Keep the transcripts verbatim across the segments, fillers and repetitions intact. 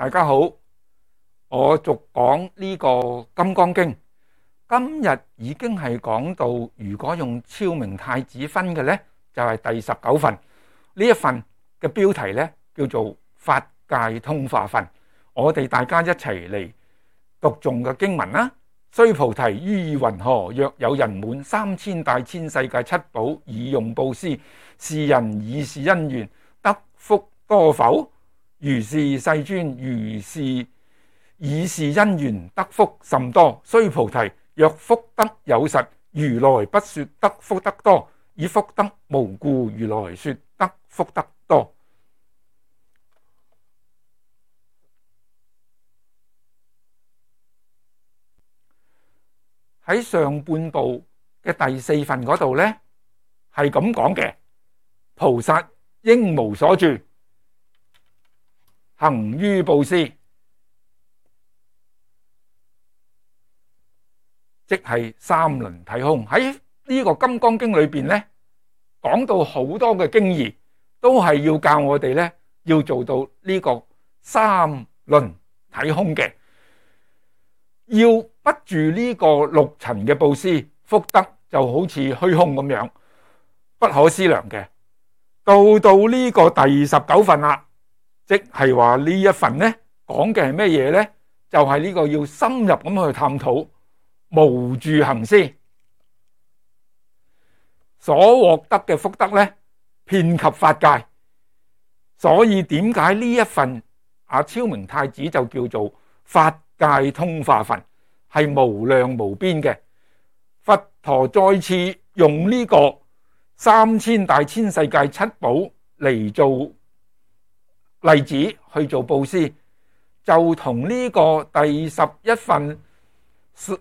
大家好，我續講呢個《金剛經》，今日已經係講到，如果用超明太子分嘅呢，就係第十九份。呢一份嘅標題呢，叫做法界通化分。我哋大家一齊嚟讀誦嘅經文啦。須菩提，於云何？若有人滿三千大千世界七寶以用布施，是人以是因緣得福多否？如是世尊，如是以是因緣得福甚多。須菩提，若福德有實，如來不說得福德多，以福德無故，如來說得福德多。喺上半部嘅第四份嗰度呢，係咁講嘅：菩薩應無所住，行於布施，即係三輪體空。喺呢個《金剛經》裏邊呢，講到好多嘅經義，都係要教我哋呢，要做到呢個三輪體空嘅，要不住呢個六塵嘅布施，福德就好似虛空咁樣，不可思量嘅。到到呢個第十九份啦，即係話呢一份呢，講嘅係咩嘢呢？就係呢個要深入咁去探討無住行施所獲得嘅福德呢，遍及法界。所以點解呢一份阿超明太子就叫做法界通化分，係無量無邊嘅。佛陀再次用呢個三千大千世界七寶嚟做例子去做布施，就同呢個第十一份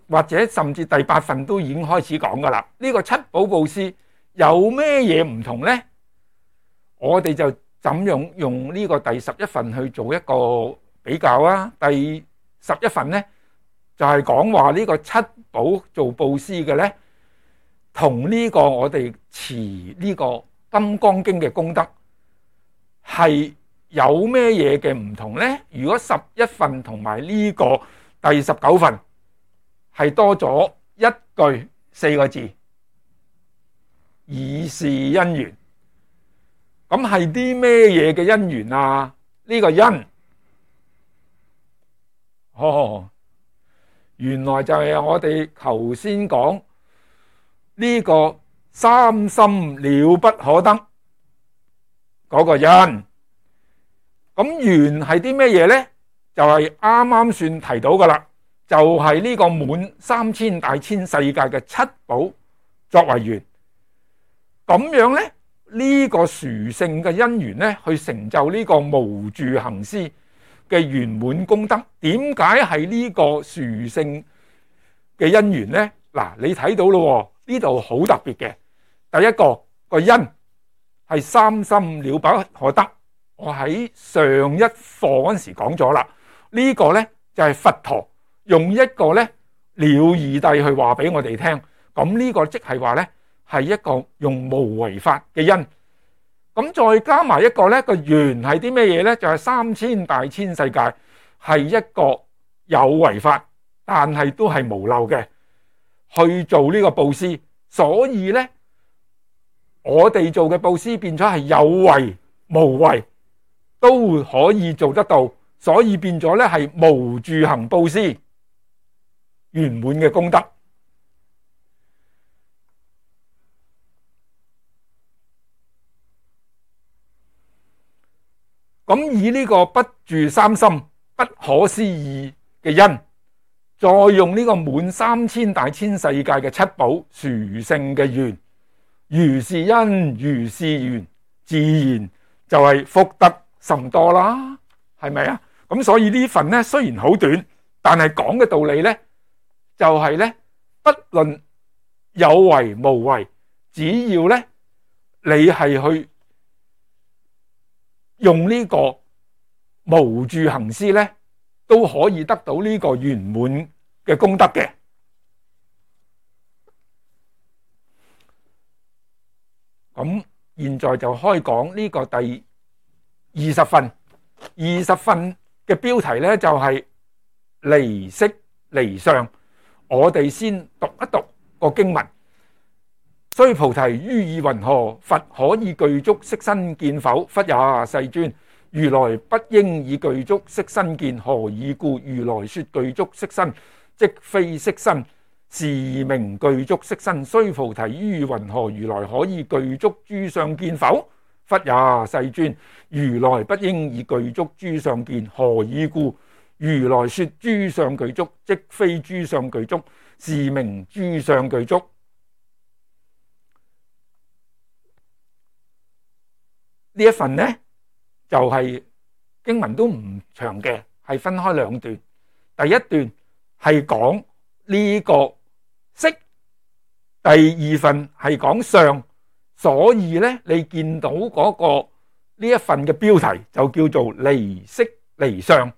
或者甚至第八份都已經開始講噶啦。呢個七寶布施有咩嘢唔同呢？我哋就怎樣用呢個第十一份去做一個比較啊？第十一份呢，就係講話呢個七寶做布施嘅呢，同呢個我哋持呢個《金剛經》嘅功德係有咩嘢嘅唔同呢？如果十一份同埋呢個第十九份係多咗一句四個字，以是因緣。咁係啲咩嘢嘅因緣啊？呢個因，哦，原來就係我哋頭先講呢個三心了不可得嗰個因。咁緣係啲咩嘢呢？就係啱啱算提到噶啦，就係呢個滿三千大千世界嘅七寶作為緣。咁樣呢，呢個殊勝嘅因緣呢，去成就呢個無住行施嘅圓滿功德。點解係呢個殊勝嘅因緣呢？嗱，你睇到咯，呢度好特別嘅。第一個個因係三心了不可得，我喺上一課嗰陣時講咗啦。呢個呢，就係佛陀用一個呢了義諦去話俾我哋聽。咁呢個即係話呢，係一個用無為法嘅因。咁再加埋一個呢個緣係啲咩嘢呢？就係三千大千世界係一個有為法，但係都係無漏嘅去做呢個布施。所以呢，我哋做嘅布施變咗係有為無為都可以做得到，所以變咗呢係無住行布施圓滿嘅功德。咁以呢個不住三心不可思議嘅因，再用呢個滿三千大千世界嘅七寶殊勝嘅緣，如是因如是緣，自然就係福德甚多啦，係咪啊？咁所以呢份呢，雖然好短，但係講嘅道理呢，就係呢，不論有為無為，只要呢，你係去用呢個無住行施呢，都可以得到呢個圓滿嘅功德嘅。咁現在就開講呢個第二十份。二十份嘅標題呢，就係離色離相。我哋先讀一讀個經文。須菩提，於意云何？佛可以具足色身見否？忽也，世尊。如來不應以具足色身見，何以故？如來說具足色身，即非色身，是名具足色身。須菩提，於意云何？如來可以具足諸相見否？忽也，世尊。如來不應以具足諸相見，何以故？如來說諸相具足，即非諸相具足，是名諸相具足。呢一份呢，就係、是、經文都唔長嘅，係分開兩段。第一段係講呢個色，第二份係講相。所以呢，你見到嗰個呢一份嘅標題就叫做離色離相。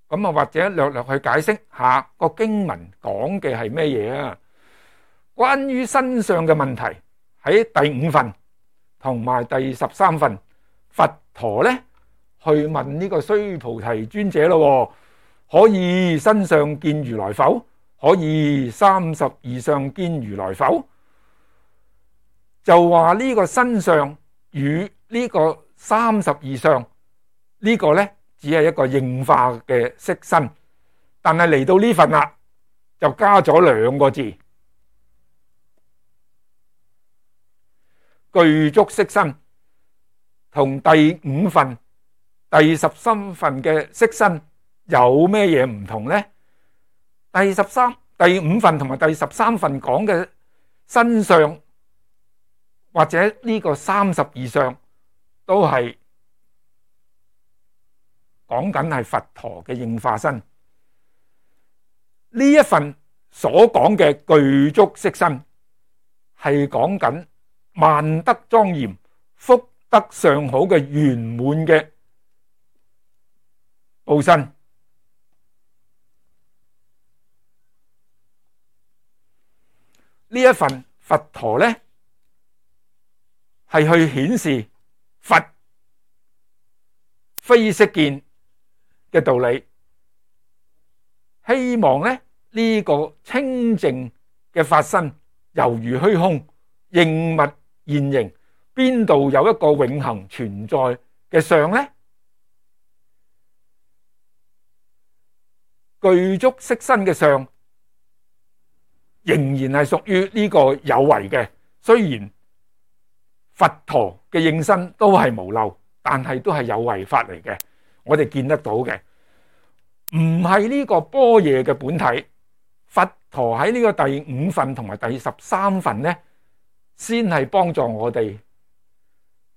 咁啊，或者略略去解釋下個經文講嘅係咩嘢啊？關於身相嘅問題喺第五份同埋第十三份，佛陀咧去問呢個須菩提尊者咯，可以身相見如來否？可以三十二相見如來否？就話呢個身相與呢個三十二相呢個咧，只係一個應化嘅色身，但係嚟到呢份啦，就加咗兩個字，具足色身，同第五份、第十三份嘅色身有咩嘢唔同呢？第十三、第五份同埋第十三份講嘅身相，或者呢個三十二相，都係講緊係佛陀嘅應化身。呢一份所講嘅具足色身，係講緊萬德莊嚴、福德上好嘅圓滿嘅報身。呢一份佛陀呢，係去顯示佛非色見嘅道理，希望咧呢個清淨嘅法身猶如虛空，應物現形，邊度有一個永恆存在嘅相呢？具足色身嘅相仍然係屬於呢個有為嘅，雖然佛陀嘅應身都係無漏，但係都係有為法嚟嘅，我哋見得到嘅，唔係呢個般若嘅本體。佛陀喺呢個第五份同埋第十三份呢，先係幫助我哋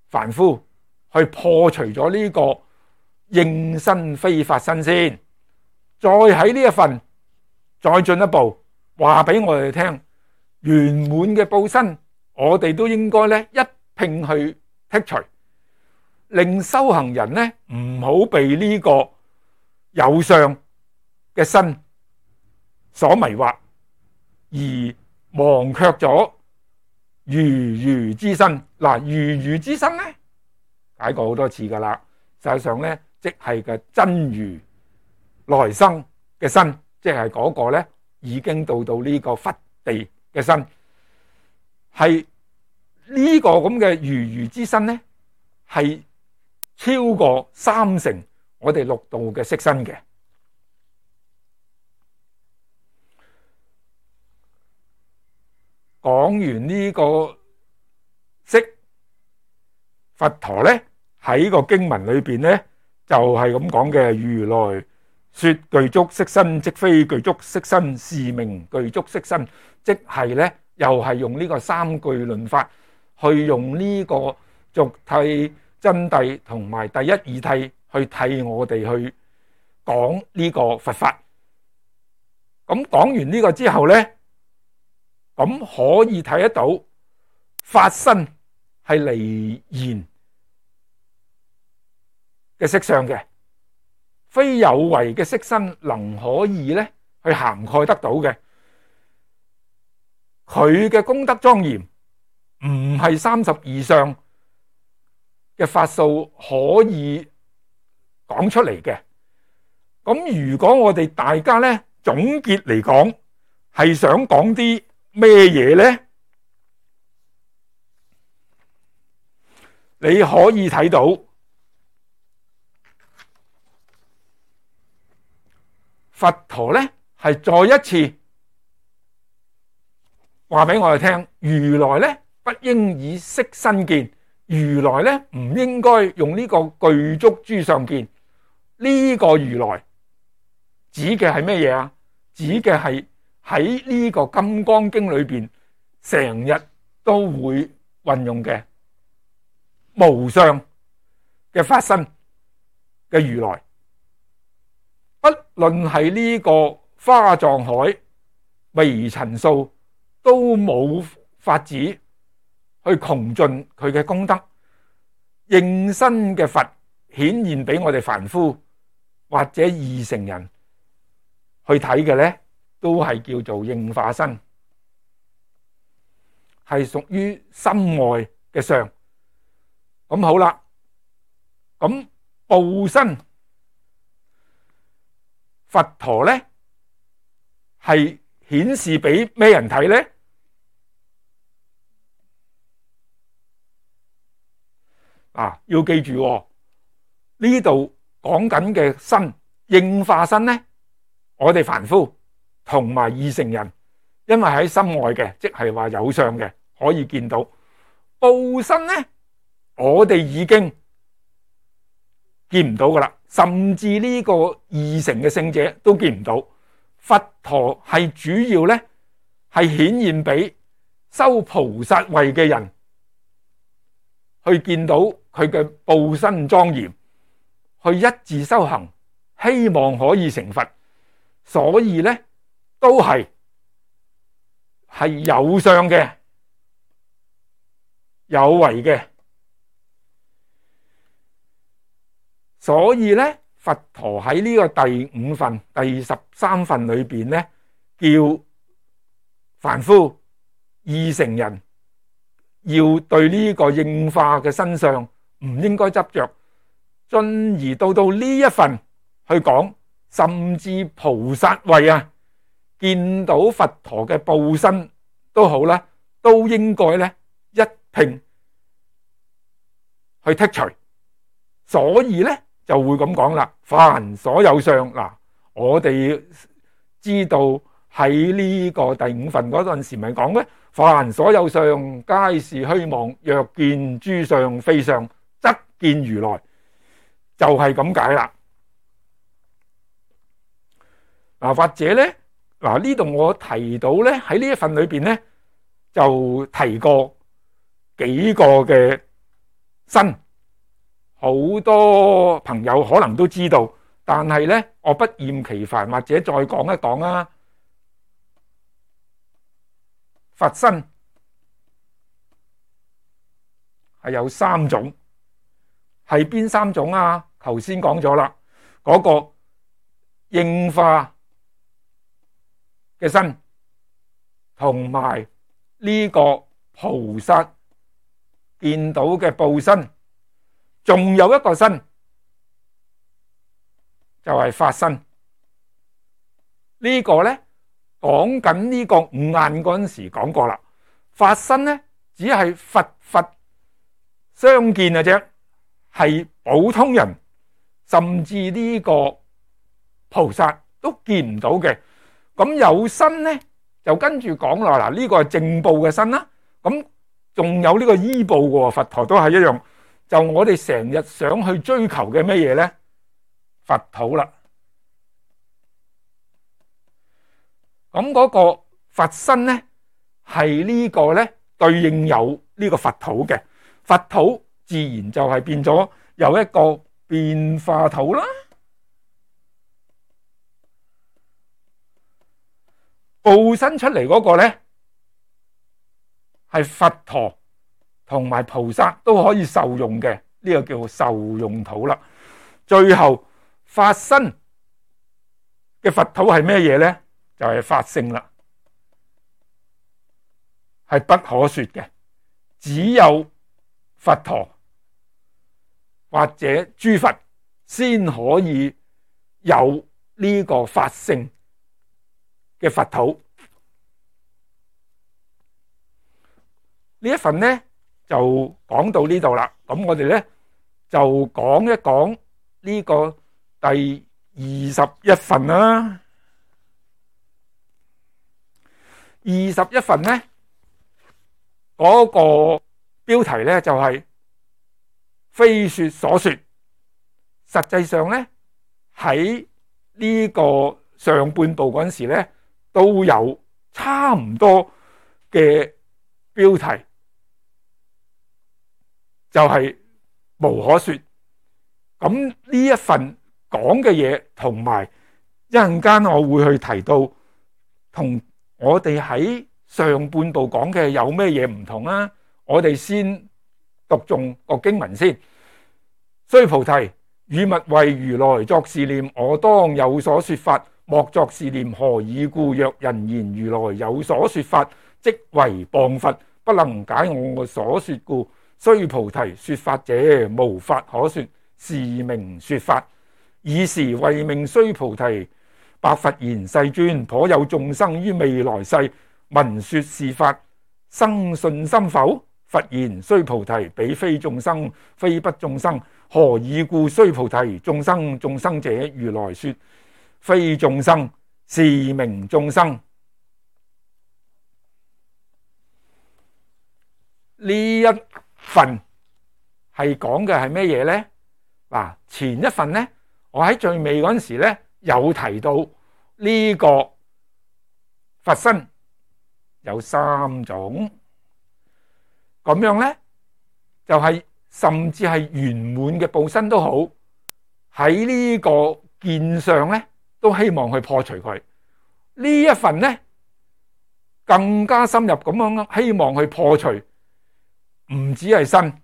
凡夫去破除咗呢個應身非法身先，再喺呢一份再進一步話俾我哋聽，圓滿嘅報身，我哋都應該咧一併去剔除，令修行人呢唔好被呢個有相嘅身所迷惑，而忘卻咗如如之身。嗱，如如之身呢，解過好多次噶啦，實際上呢，即係嘅真如來生嘅身，即係嗰個呢已經到到呢個佛地嘅身，係呢個咁嘅如如之身呢，係超過三成我哋六道嘅色身嘅。講完呢個色，佛陀呢喺個經文裏邊呢就係咁講嘅：如來說具足色身，即非具足色身，是名具足色身。即係呢，又係用呢個三句論法，去用呢個俗諦、真諦同埋第一義諦去替我哋去講呢個佛法。咁講完呢個之後呢，咁可以睇得到法身係離言嘅色相嘅，非有為嘅色身能可以咧去涵蓋得到嘅。佢嘅功德莊嚴唔係三十二相嘅法數可以講出嚟嘅。咁如果我哋大家咧總結嚟講，係想講啲咩嘢咧？你可以睇到佛陀咧係再一次話俾我哋聽，如來咧不應以色身見，如來咧唔應該用呢個具足諸相見。呢個如來指嘅係咩嘢啊？指嘅係喺呢個金剛經裏邊成日都會運用嘅無相嘅法身嘅如來，不論係呢個花藏海微塵數都冇法子去窮盡佢嘅功德。應身嘅佛顯現俾我哋凡夫或者二乘人去睇嘅咧，都係叫做應化身，係屬於心外嘅相。咁好啦，咁報身佛陀咧係顯示俾咩人睇咧？啊，要記住呢度講緊嘅身應化身咧，我哋凡夫同埋二乘人，因為喺心外嘅，即係話有相嘅，可以見到。報身咧，我哋已經見唔到噶啦，甚至呢個二乘嘅聖者都見唔到。佛陀係主要咧係顯現俾修菩薩位嘅人去見到佢嘅報身莊嚴，去一致修行，希望可以成佛。所以咧都係係有相嘅，有為嘅。所以咧佛陀喺呢個第五份第十三份裏邊咧，叫凡夫二乘人要對呢個應化嘅身相唔應該執着，進而到到呢一份去講，甚至菩薩位啊，見到佛陀嘅報身都好啦，都應該咧一併去剔除。所以咧就會咁講啦，凡所有相嗱，我哋知道喺呢個第五份嗰陣時咪講咧，凡所有相皆是虛妄，若見諸相非相，則見如來，就係咁解啦。嗱，或者咧嗱，呢度我提到咧喺呢一份裏邊咧就提過幾個嘅身。好多朋友可能都知道，但係咧我不厭其煩，或者再講一講啊。佛身係有三種，係邊三種啊？頭先講咗啦，嗰個應化嘅身，同埋呢個菩薩見到嘅報身。仲有一個身就係法身，呢個咧講緊呢個五眼嗰陣時講過啦。法身咧只係佛佛相見嘅啫，係普通人甚至呢個菩薩都見唔到嘅。咁有身咧就跟住講啦，嗱，呢個係正報嘅身啦。咁仲有呢個依報嘅，佛陀都係一樣。就我哋成日想去追求嘅咩嘢咧？佛土啦。咁嗰個佛身咧，係呢個咧對應有呢個佛土嘅。佛土自然就係變咗有一個變化土啦。報身出嚟嗰個咧，係佛陀同埋菩薩都可以受用嘅，呢個叫受用土啦。最後法身嘅佛土係咩嘢咧？就係法性啦，係不可說嘅，只有佛陀或者諸佛先可以有呢個法性嘅佛土。呢一份呢就講到呢度啦。咁我哋呢就講一講呢個第二十一份啦。二十一份呢嗰個標題呢就係非說所說。實際上呢喺呢個上半部嗰陣時呢都有差唔多嘅標題，就係無可說。咁呢一份講嘅嘢，同埋一陣間我會去提到，同我哋喺上半部講嘅有咩嘢唔同啊？我哋先讀誦個經文先。須菩提，汝勿為如來作是念：我當有所說法，莫作是念。何以故？若人言如來有所說法，即為謗佛，不能解我所說故。須菩提，說法者無法可說，是名說法。爾時為命須菩提白佛言：世尊，頗有眾生於未來世聞說是法，生信心否？佛言：須菩提，彼非眾生，非不眾生。何以故？須菩提，眾生眾生者，如來說非眾生，是名眾生。呢一份係講嘅係咩嘢呢？嗱，前一份呢，我喺最尾嗰陣時呢有提到呢個佛身有三種，咁樣呢就係、是、甚至係圓滿嘅報身都好，喺呢個見上呢都希望去破除佢。呢一份呢更加深入咁樣希望去破除，唔止係身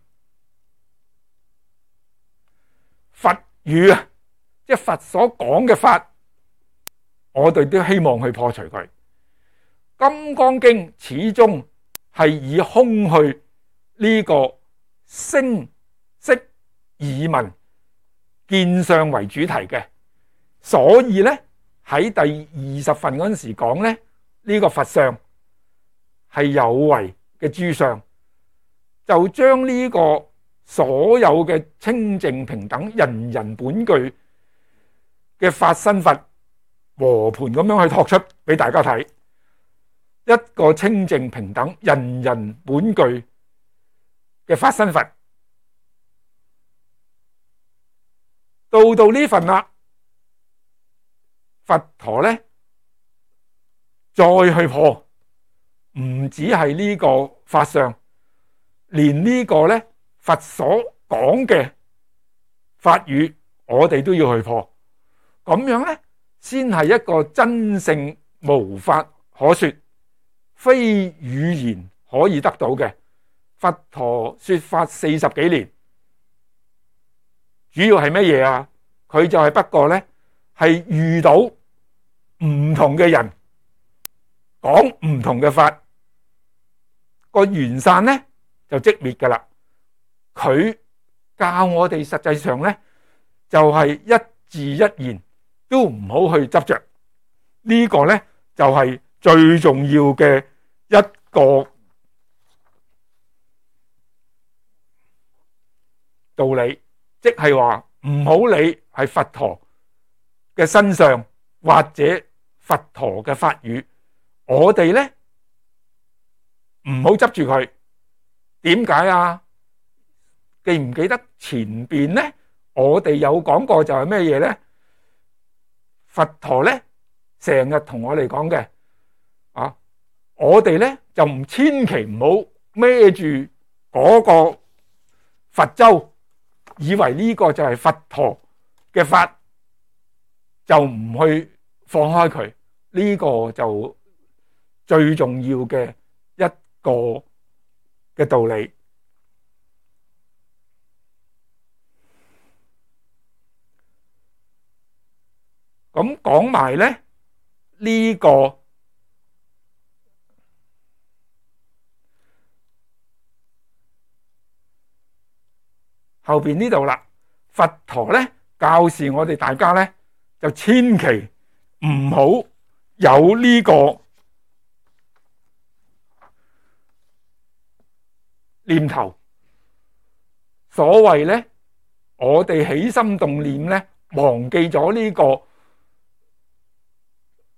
佛語啊，即係佛所講嘅法，我哋都希望去破除佢。金剛經始終係以空去呢個聲色耳聞見相為主題嘅，所以咧喺第二十份嗰陣時講咧，呢個佛相係有為嘅諸相，就將呢個所有嘅清淨平等人人本具嘅法身佛和盤咁樣去托出俾大家睇。一個清淨平等人人本具嘅法身佛，到到呢份啦，佛陀咧再去破，唔止係呢個法相，連呢個咧佛所講嘅法語，我哋都要去破，咁樣咧先係一個真正無法可說，非語言可以得到嘅。佛陀說法四十幾年，主要係乜嘢啊？佢就係不過咧係遇到唔同嘅人講唔同嘅法，個緣散咧就即滅噶啦。佢教我哋實際上咧就係一字一言都唔好去執着，呢個咧就係最重要嘅一個道理，即係話唔好理係佛陀嘅身上或者佛陀嘅法語，我哋咧唔好執住佢。點解啊？記唔記得前邊咧我哋有講過就係咩嘢咧？佛陀咧成日同我哋講嘅啊，我哋咧就唔千祈唔好孭住嗰個佛舟，以為呢個就係佛陀嘅法，就唔去放開佢。呢個就最重要嘅一個嘅道理。咁講埋咧呢個後邊呢度啦，佛陀咧教示我哋大家咧，就千祈唔好有呢個念頭。所謂咧，我哋起心動念咧，忘記咗呢個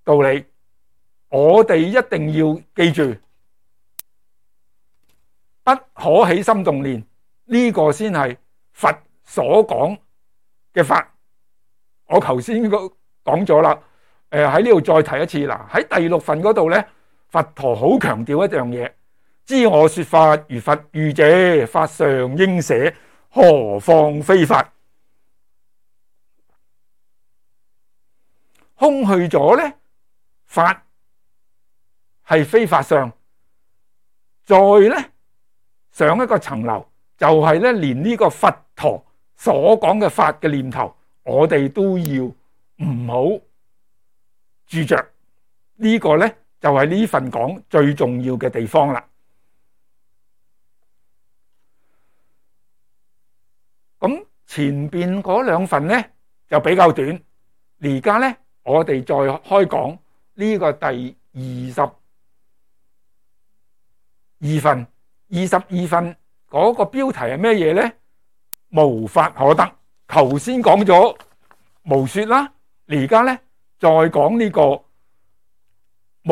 道理，我哋一定要記住，不可起心動念，呢個先係佛所講嘅法。我頭先講咗啦，誒喺呢度再提一次啦。喺第六份嗰度咧，佛陀好強調一樣嘢：知我說法如佛語者，法上應捨，何況非法？空去咗咧，法係非法上，再咧上一個層樓，就係咧連呢個佛陀所講嘅法嘅念頭，我哋都要唔好住着。呢個咧就係呢份講最重要嘅地方啦。咁前邊嗰兩份咧就比較短，而家咧我哋再開講呢個第二十二份。二十二份嗰個標題係咩嘢咧？無法可得。頭先講咗無說啦，而家咧再講呢個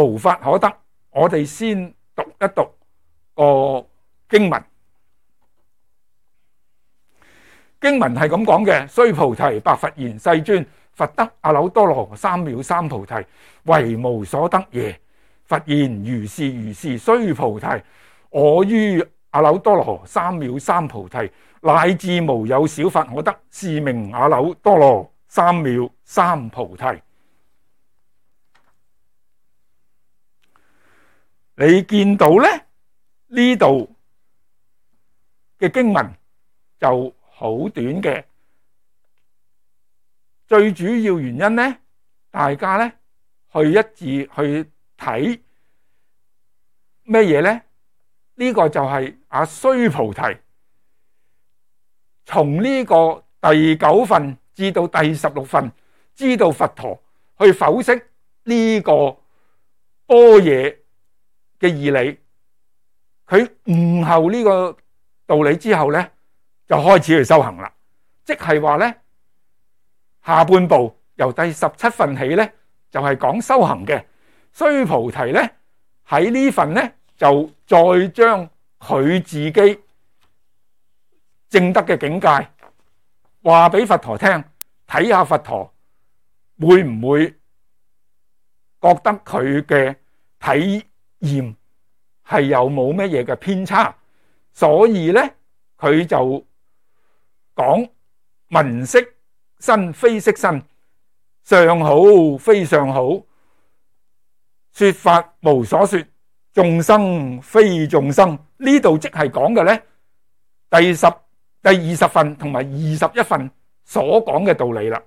無法可得。我哋先讀一讀個經文。經文係咁講嘅：須菩提，白佛言，世尊，佛得阿耨多羅三藐三菩提，為無所得耶？佛言：如是如是。須菩提，我於阿耨多羅三藐三菩提，乃至無有小法可得，是名阿耨多羅三藐三菩提。你見到咧，呢度嘅經文就好短嘅，最主要原因咧，大家咧去一致去睇咩嘢咧？呢個就係阿須菩提從呢個第九份至到第十六份，知道佛陀去剖析呢個般若嘅義理，佢悟後呢個道理之後咧，就開始去修行啦。即係話咧，下半部由第十七份起咧，就係講修行嘅。須菩提咧喺呢份咧，就再將佢自己證得嘅境界話俾佛陀聽，睇下佛陀會唔會覺得佢嘅體驗係有冇乜嘢嘅偏差。所以咧佢就講聞色身非色身，相好非相好，說法無所說，眾生非眾生。呢度即係講嘅咧，第十、第二十份同埋二十一份所講嘅道理啦。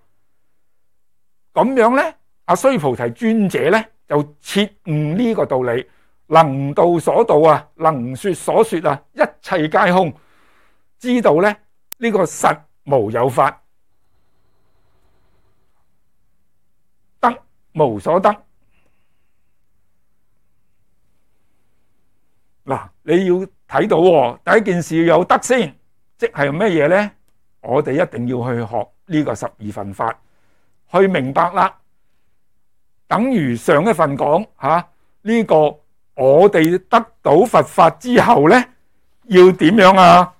咁樣咧，阿須菩提尊者咧就徹悟呢個道理，能道所道啊，能說所說啊，一切皆空，知道咧呢個實無有法，得無所得。嗱，你要睇到喎，第一件事要有得先，即係咩嘢咧？我哋一定要去學呢個十二分法，去明白啦。等於上一份講吓呢個，我哋得到佛法之後咧，要點樣啊？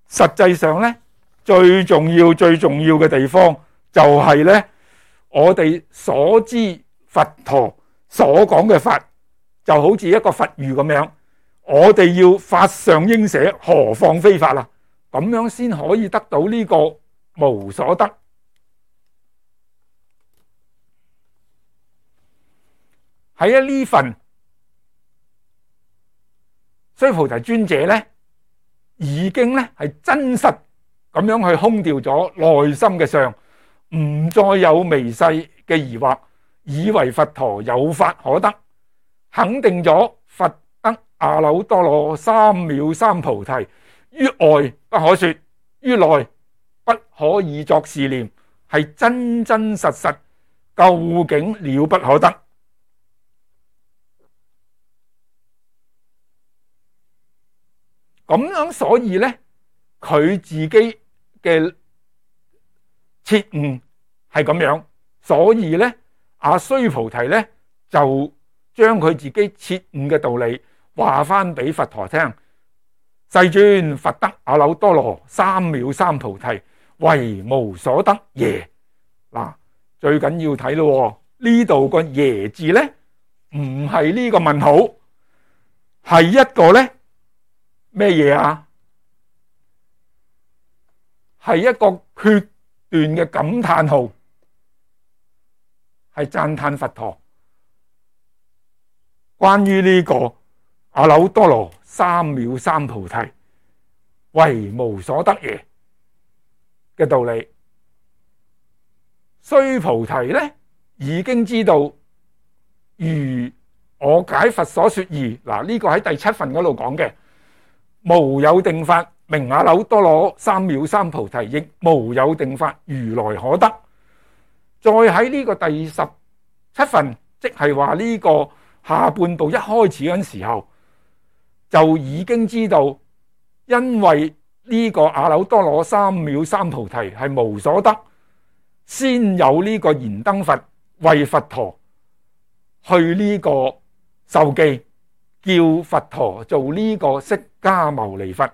實際上咧，最重要、最重要嘅地方就係咧，我哋所知佛陀所講嘅法，就好似一個佛語咁樣。我哋要法上應捨，何況非法啦？咁樣先可以得到呢個無所得。喺呢份須菩提尊者咧，已經咧係真實咁樣去空掉咗內心嘅相，唔再有微細嘅疑惑，以為佛陀有法可得，肯定咗佛得阿耨多羅三藐三菩提，於外不可說，於內不可以作是念，係真真實實，究竟了不可得。咁樣，所以咧，佢自己嘅切悟係咁樣，所以咧，阿須菩提咧就將佢自己切悟嘅道理話翻俾佛陀聽。世尊，佛得阿耨多羅三藐三菩提，為無所得耶。嗱，最緊要睇咯，呢度個耶字咧，唔係呢個問號，係一個咧咩嘢啊？係一個決斷嘅感嘆號，係讚嘆佛陀關於呢個阿耨多羅三藐三菩提為無所得耶嘅道理。須菩提咧已經知道，如我解佛所說義，嗱，呢個喺第七份嗰度講嘅，無有定法名阿耨多羅三藐三菩提，亦無有定法如來可得。再喺呢個第十七份，即係話呢個下半部一開始嗰陣時候，就已經知道，因為呢個阿耨多羅三藐三菩提係無所得，先有呢個燃燈佛為佛陀去呢個授記，叫佛陀做呢個釋迦牟尼佛。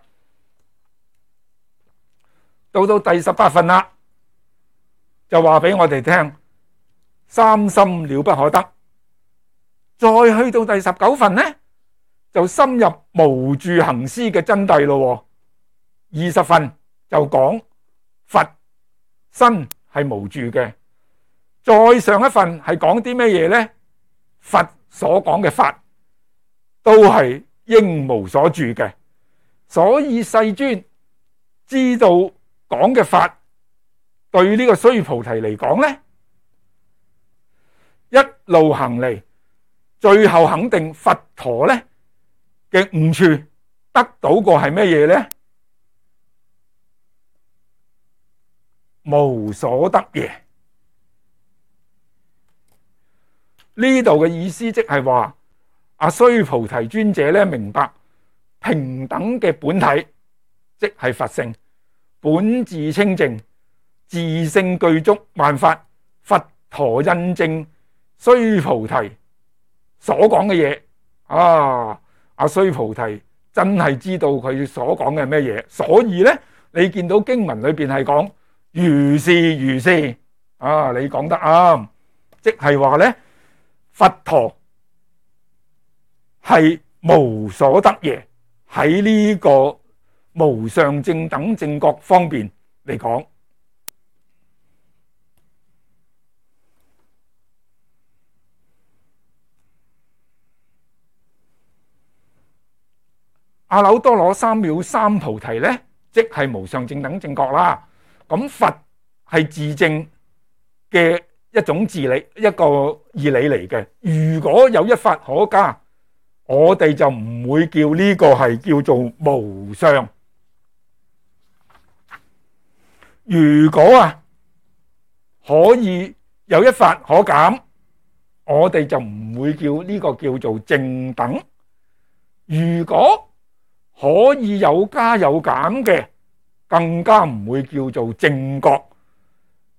到到第十八份啦，就話俾我哋聽，三心了不可得。再去到第十九份呢，就深入無住行施嘅真諦咯。二十份就講佛身係無住嘅。再上一份係講啲咩嘢呢？佛所講嘅法都係應無所住嘅。所以世尊知道講嘅法對呢個須菩提嚟講呢，一路行嚟，最後肯定佛陀呢嘅悟處得到個係咩嘢呢？無所得耶。呢度嘅意思即係話，阿須菩提尊者咧明白平等嘅本體，即係佛性，本自清淨，自性具足萬法。佛陀印證須菩提所講嘅嘢啊，阿須菩提真係知道佢所講嘅咩嘢，所以咧你見到經文裏邊係講如是如是啊，你講得啱，即係話咧佛陀係無所得耶。喺呢個無上正等正覺方面嚟講，阿耨多羅三藐三菩提咧，即係無上正等正覺啦。咁佛係自證嘅一種自理，一個義理嚟嘅。如果有一法可加，我哋就唔會叫呢個係叫做無上。如果啊可以有一法可減，我哋就唔會叫呢個叫做正等。如果可以有加有減嘅，更加唔會叫做正覺。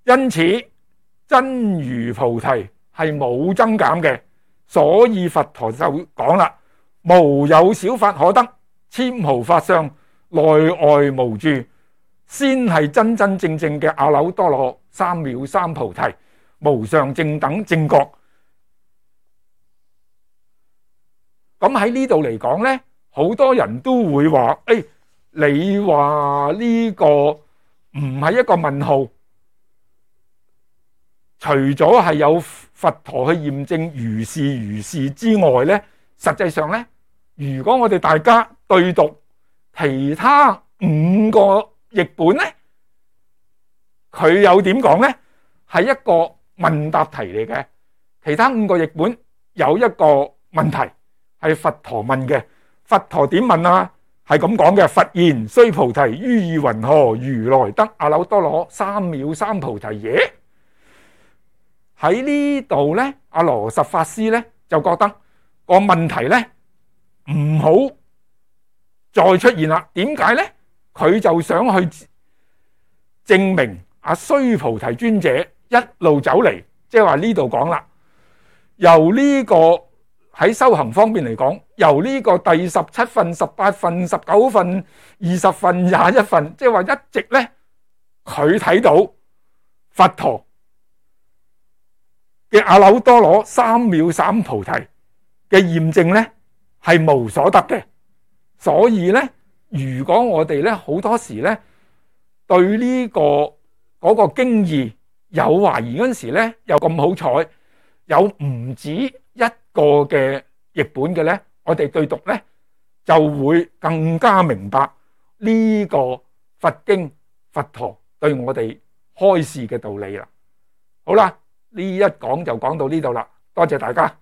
因此真如菩提係冇增減嘅，所以佛陀就講啦，無有小法可得，纖毫法相，內外無住，先係真真正正嘅阿耨多羅三藐三菩提，無上正等正覺。咁喺呢度嚟講呢，好多人都會話，誒，你話呢個唔係一個問號，除咗係有佛陀去驗證如是如是之外呢，實際上呢，如果我哋大家對讀其他五個譯本呢，佢有點講呢？係一個問答題嚟嘅。其他五個譯本有一個問題係佛陀問嘅，佛陀點問啊？係咁講嘅。佛言須菩提，於意云何？如來得阿耨多羅三藐三菩提耶？喺呢度咧，阿羅什法師咧就覺得個問題咧唔好再出現啦。點解咧？佢就想去證明阿須菩提尊者一路走嚟，即係話呢度講啦，由呢個喺修行方面嚟講，由呢個第十七分、十八分、十九分、二十分、廿一分，即係話一直咧，佢睇到佛陀嘅阿耨多羅三藐三菩提嘅驗證咧係無所得嘅。所以咧，如果我哋咧好多時咧對呢個嗰個經義有懷疑嗰陣時咧，又咁好彩有唔止一個嘅譯本嘅咧，我哋對讀咧就會更加明白呢個佛經佛陀對我哋開示嘅道理啦。好啦，呢一講就講到呢度啦，多謝大家。